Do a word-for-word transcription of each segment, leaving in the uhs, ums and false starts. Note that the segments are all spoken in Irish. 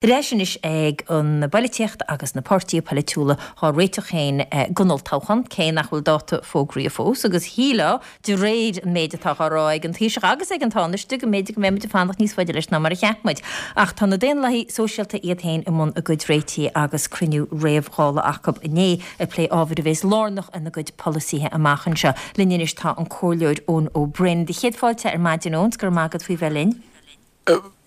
Ar ais anois ag an bpolaitíocht agus na páirtithe polaitiúla dhá réiteach féin don olltoghchán, cé nach bhfuil dáta fógraithe fós, agus shílfeá, de réir an méid atá á rá ag an Taoiseach agus ag an Tánaiste, go mb'fhéidir go mbeidh muid ag fanacht níos faide leis ná mar a cheap muid. Ach tá na Daonlathaigh Sóisialta iad féin i mbun a gcuid réitigh agus cruinniú réamh-Dhála acu inné ag plé ábhair a bheas lárnach ina gcuid polasaithe amach anseo. Linn anois tá an Comhairleoir Eoin Ó Broin. Do chéad fáilte ar maidin, Eoin, 's go raibh maith agat faoi bheith linn.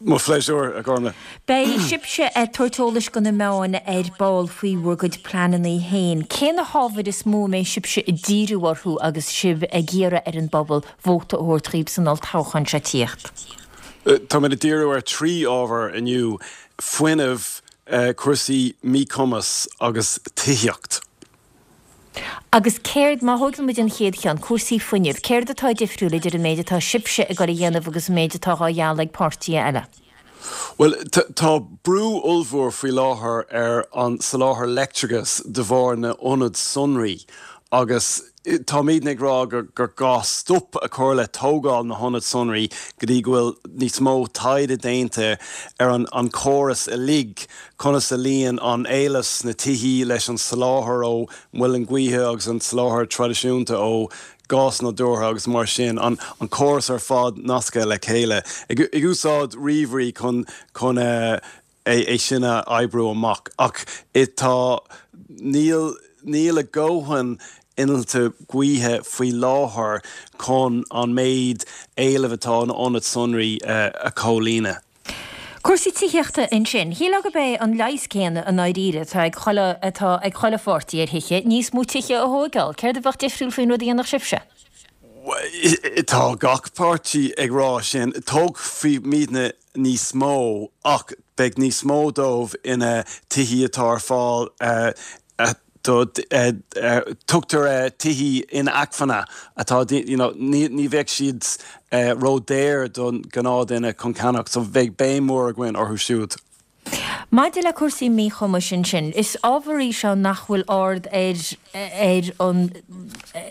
Mo phléisiúr, a Ghormfhlaith. Beidh sibhse ag tabhairt eolais do na meáin ar ball faoi bhur gcuid pleananna féin. Cé na hábhair is mó a mbeidh sibhse ag díriú orthu agus sibh ag iarraidh ar an bpobal vóta a thabhairt dhaoibh san olltoghchán seo tíocht? Táimid ag díriú ar trí ábhar inniu, fuinneamh, cúrsaí míchumas agus tithíocht. Agus céard, má thógann muid an chéad cheann, cúrsaí fuinnimh, céard atá difriúil idir an méid atá sibhse ag dul a dhéanamh agus an méid atá á ghealladh ag páirtithe eile? Bhuel, tá brú ollmhór faoi láthair ar an soláthar leictreachais de bharr na n-ionad sonraí agus táimidne ag rá gur gá stop a chur le tógáil na hionad sonraí go dtí go bhfuil níos mó taighde déanta ar an chóras uilig, conas a luíonn an éileamh sna tithí leis an soláthar ó mhuileann gaoithe agus an soláthar traidisiúnta ó ghás nádúrtha agus mar sin, an córas ar fad nasctha le chéile, ag úsáid ríomhairí chun chun é sin a oibriú amach. Ach tá, níl, níl a ndóthain innilte gaoithe faoi láthair chun an méid éilimh atá in ionaid sonraí a chomhlíonadh. Cúrsaí tithíochta ansin. Shílfeá gurb é an leigheas céanna i ndáiríre atá ag chuile atá ag chuile pháirtí ar thithe, níos mó tithe a thóigeáil. Céard a bheadh difriúil faoin rud a dhéanfadh sibhse? Tá gach páirtí ag rá sin. Tógfaimidne níos mó ach beidh níos mó dóibh ina tithí atá ar fáil do tugtar tithí inacmhainne atá you know ní ní bheadh siad ródhaor don ghnáthduine chun ceannach so bheidh béim mhór againn orthu siúd. Maidir le cúrsaí míchumais ansin, is ábhar í seo nach bhfuil ard ar ar an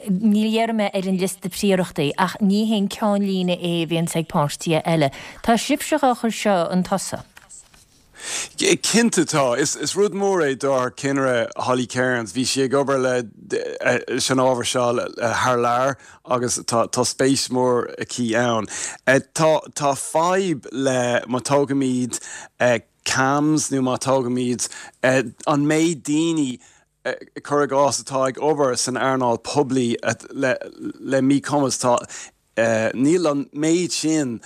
ní dhéarfaidh mé ar an liosta príorachtaí ach ní haon ceannlíne é a bhíonns ag páirtithe eile. Tá sibhse á chur seo chun tosaigh. Cinnte tá. Is rud mór é dár gceannaire Holly Cairns. Bhí sí ag obair leis an ábhar seo thar lear agus tá spéis mhór aici ann. Tá fadhb le má tógaimid CAMHS nó má tógaimid an méid daoine cuir i gcás atá ag obair san earnáil poiblí le míchumas, tá níl an méid sin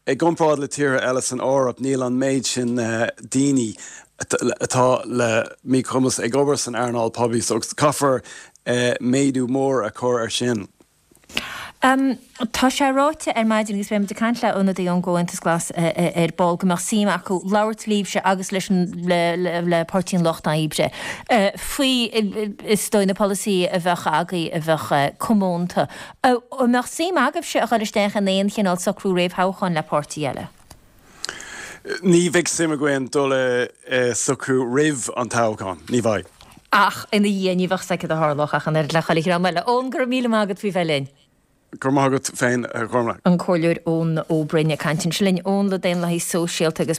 I gcomparáid le tíortha eile san Eoraip, níl an méid sin daoine atá le míchumas ag obair san earnáil poiblí, so caithfear méadú mór a chur air sin. Tá sé ráite ar maidin, agus beidh muid ag caint le ionadaí ón gComhaontas Glas ar ball, go mbeadh suim acu labhairt libhse agus leis an le Páirtí an Lucht Oibre faoi is dóigh na polasaithe a bheadh agaibh a bheadh comónta. An mbeadh suim agaibhse a dhul isteach in aon chineál socrú réamhthoghcháin le páirtí eile? Ní bheidh suim againn dul i socrú roimh an toghchán, ní bheidh. Ach ina dhiaidh, ní bheadh 's acu cad a tharlódh ach an oiread le chuile dhream eile. Eoin, go raibh míle maith agat faoi bheith linn. Go raibh maith agat féin, a Ghormfhlaith. An Comhairleoir Eoin Ó Broin ag caint ansin linn, Eoin le Daonlathaigh Sóisialta agus.